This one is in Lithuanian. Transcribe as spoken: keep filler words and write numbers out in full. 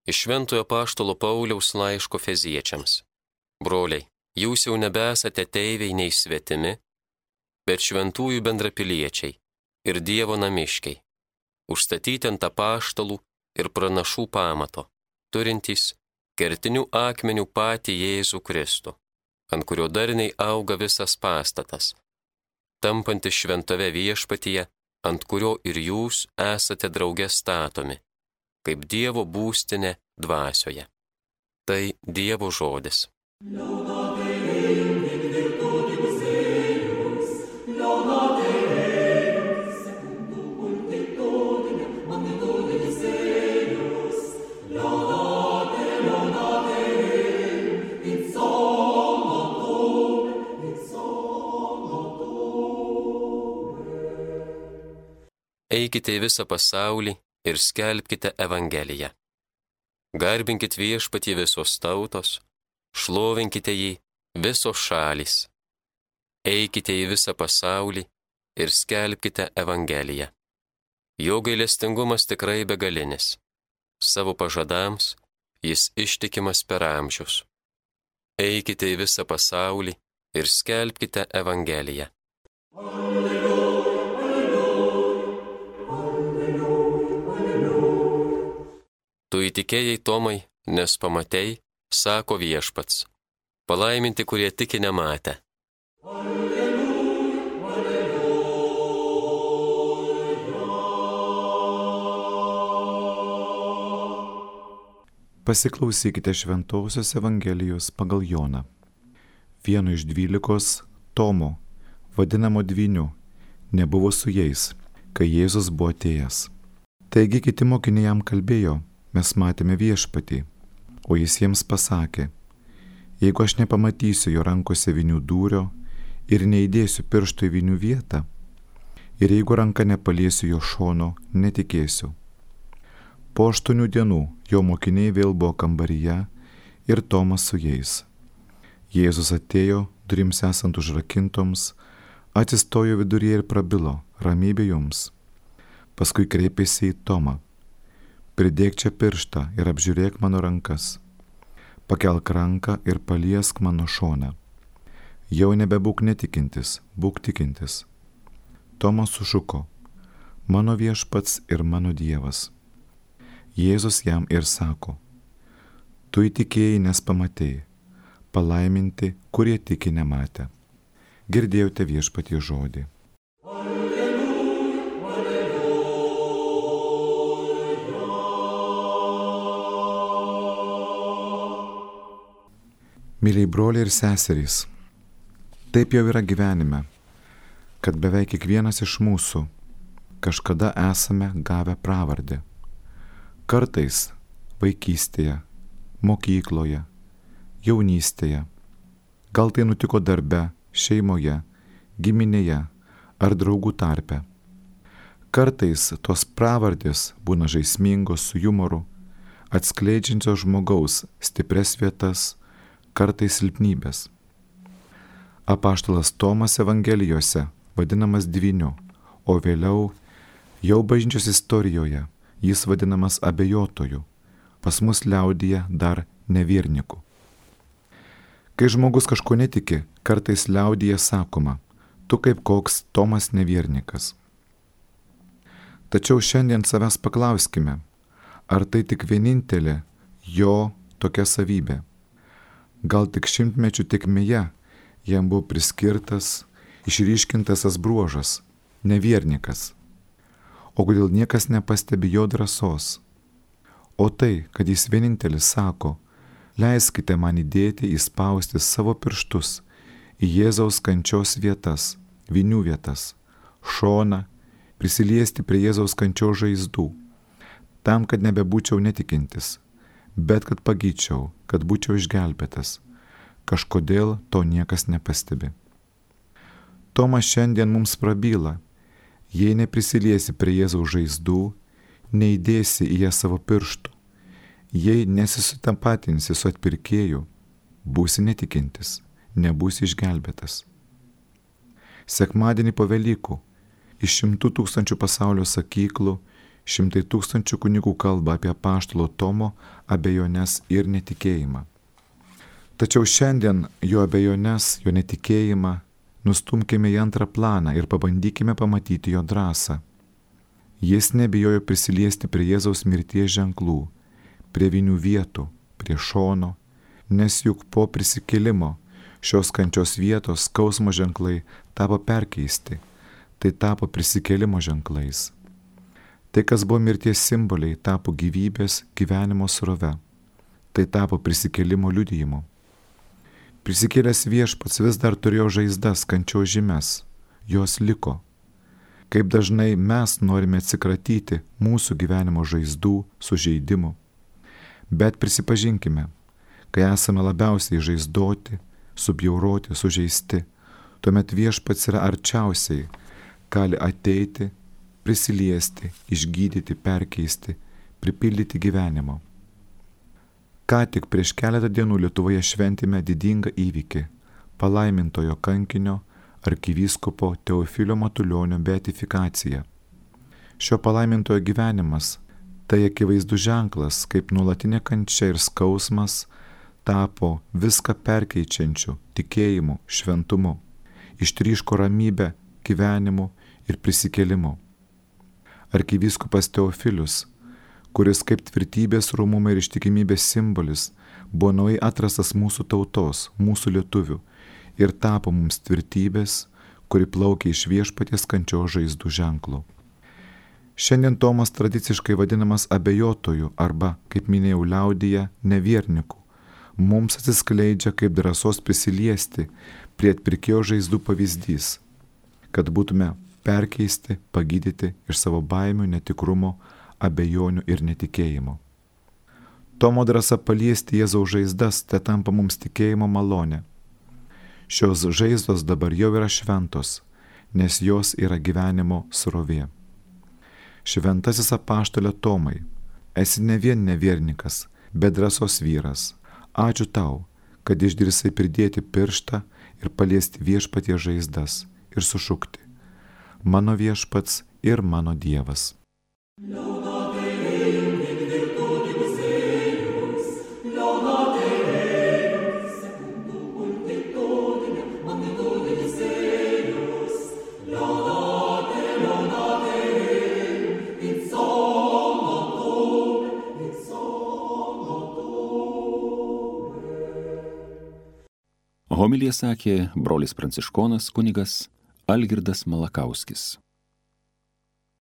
Iš Šventojo Apaštalo Pauliaus laiško Efeziečiams. Broliai, jūs jau nebesate ateiviai nei svetimi, bet šventųjų bendrapiliečiai ir Dievo namiškiai, užstatyti ant apaštalų ir pranašų pamato, turintys kertinių akmenių patį Jėzų Kristų, ant kurio darniai auga visas pastatas, tampantis šventove viešpatyje, ant kurio ir jūs esate drauge statomi, kaip Dievo būstinė dvasioje. Tai Dievo žodis. Eikite į visą pasaulį ir skelbkite Evangeliją. Garbinkit viešpatį visos tautos, šlovinkite jį visos šalys. Eikite į visą pasaulį ir skelbkite Evangeliją. Jo gailestingumas tikrai begalinis. Savo pažadams jis ištikimas per amžius. Eikite į visą pasaulį ir skelbkite Evangeliją. Tu įtikėjai, Tomai, nes pamatei, sako viešpats. Palaiminti, kurie tiki nematę. Pasiklausykite Šventosios Evangelijos pagal Joną. Vienu iš dvylikos, Tomo, vadinamo dvyniu, nebuvo su jais, kai Jėzus buvo atėjęs. Taigi kiti mokiniai jam kalbėjo: mes matėme viešpatį, o jis jiems pasakė: jeigu aš nepamatysiu jo rankose vynių dūrio ir neįdėsiu piršto į vynių vietą, ir jeigu ranka nepaliesiu jo šono, netikėsiu. Po aštuonių dienų jo mokiniai vėl buvo kambaryje ir Tomas su jais. Jėzus atėjo, durims esant užrakintoms, atsistojo viduryje ir prabilo: ramybė jums. Paskui kreipėsi į Tomą: pridėk čia pirštą ir apžiūrėk mano rankas. Pakelk ranką ir paliesk mano šoną. Jau nebebūk netikintis, būk tikintis. Tomas sušuko: mano viešpats ir mano Dievas. Jėzus jam ir sako: tu įtikėjai, nes pamatei. Palaiminti, kurie tiki nematę. Girdėjote viešpatie žodį. Myliai broliai ir seserys, taip jau yra gyvenime, kad beveik kiekvienas iš mūsų kažkada esame gavę pravardę. Kartais vaikystėje, mokykloje, jaunystėje, gal tai nutiko darbe, šeimoje, giminėje ar draugų tarpe. Kartais tos pravardės būna žaismingos su jumoru, atskleidžiančios žmogaus stipres vietas, kartais silpnybės. Apaštalas Tomas Evangelijose vadinamas dvyniu, o vėliau jau bažnyčios istorijoje jis vadinamas abejotoju, pas mus liaudyje dar nevierniku. Kai žmogus kažko netiki, kartais liaudyje sakoma: tu kaip koks Tomas neviernikas. Tačiau šiandien savęs paklauskime, ar tai tik vienintelė jo tokia savybė. Gal tik šimtmečių tėkmėje jam buvo priskirtas, išryškintas tas bruožas – neviernikas. O kodėl niekas nepastebi jo drąsos? O tai, kad jis vienintelis sako: leiskite man įdėti, įspausti savo pirštus į Jėzaus kančios vietas, vynių vietas, šoną, prisiliesti prie Jėzaus kančios žaizdų, tam, kad nebebūčiau netikintis, bet kad pagyčiau, kad būčiau išgelbėtas. Kažkodėl to niekas nepastebi. Tomas šiandien mums prabyla: jei neprisiliesi prie Jėzaus žaizdų, neįdėsi į ją savo pirštų, jei nesisutapatinsi su atpirkėju, būsi netikintis, nebūsi išgelbėtas. Sekmadienį po Velykų iš šimtų tūkstančių pasaulio sakyklų Šimtai tūkstančių kunigų kalba apie apaštalo Tomo abejones ir netikėjimą. Tačiau šiandien jo abejones, jo netikėjimą nustumkime į antrą planą ir pabandykime pamatyti jo drąsą. Jis nebijojo prisiliesti prie Jėzaus mirties ženklų, prie vinių vietų, prie šono, nes juk po prisikėlimo šios kančios vietos skausmo ženklai tapo perkeisti, tai tapo prisikėlimo ženklais. Tai, kas buvo mirties simboliai, tapo gyvybės gyvenimo srove, tai tapo prisikėlimo liudijimu. Prisikėlęs viešpats vis dar turėjo žaizdas, kančios žymes, jos liko. Kaip dažnai mes norime atsikratyti mūsų gyvenimo žaizdų, sužeidimų. Bet prisipažinkime, kai esame labiausiai žaizdoti, subjauroti, sužeisti, tuomet viešpats yra arčiausiai, gali ateiti, prisiliesti, išgydyti, perkeisti, pripildyti gyvenimo. Ką tik prieš keletą dienų Lietuvoje šventėme didingą įvykį – palaimintojo kankinio arkivyskupo Teofilio Matulionio beatifikacija. Šio palaimintojo gyvenimas – tai akivaizdus ženklas, kaip nuolatinė kančia ir skausmas tapo viską perkeičiančiu tikėjimu, šventumu, ištryško ramybę, gyvenimu ir prisikėlimu. Arkivyskupas Teofilius, kuris kaip tvirtybės, rūmumo ir ištikimybės simbolis, buvo naujai atrastas mūsų tautos, mūsų lietuvių ir tapo mums tvirtybės, kuri plaukia iš viešpaties kančios žaizdų ženklų. Šiandien Tomas tradiciškai vadinamas abejotoju arba, kaip minėjau liaudyje, nevierniku. Mums atsiskleidžia kaip drąsos prisiliesti prie atpirkėjo žaizdų pavyzdys, kad būtume perkeisti, pagydyti iš savo baimių, netikrumo, abejonių ir netikėjimo. Tomo drąsa paliesti Jėzaus žaizdas, tai tampa mums tikėjimo malonė. Šios žaizdos dabar jau yra šventos, nes jos yra gyvenimo srovė. Šventasis apaštale Tomai, esi ne vien neviernikas, bet drąsos vyras. Ačiū tau, kad išdrįsai pridėti pirštą ir paliesti viešpaties žaizdas ir sušukti: mano viešpats ir mano Dievas. Homiliją sakė brolis pranciškonas kunigas Algirdas Malakauskis.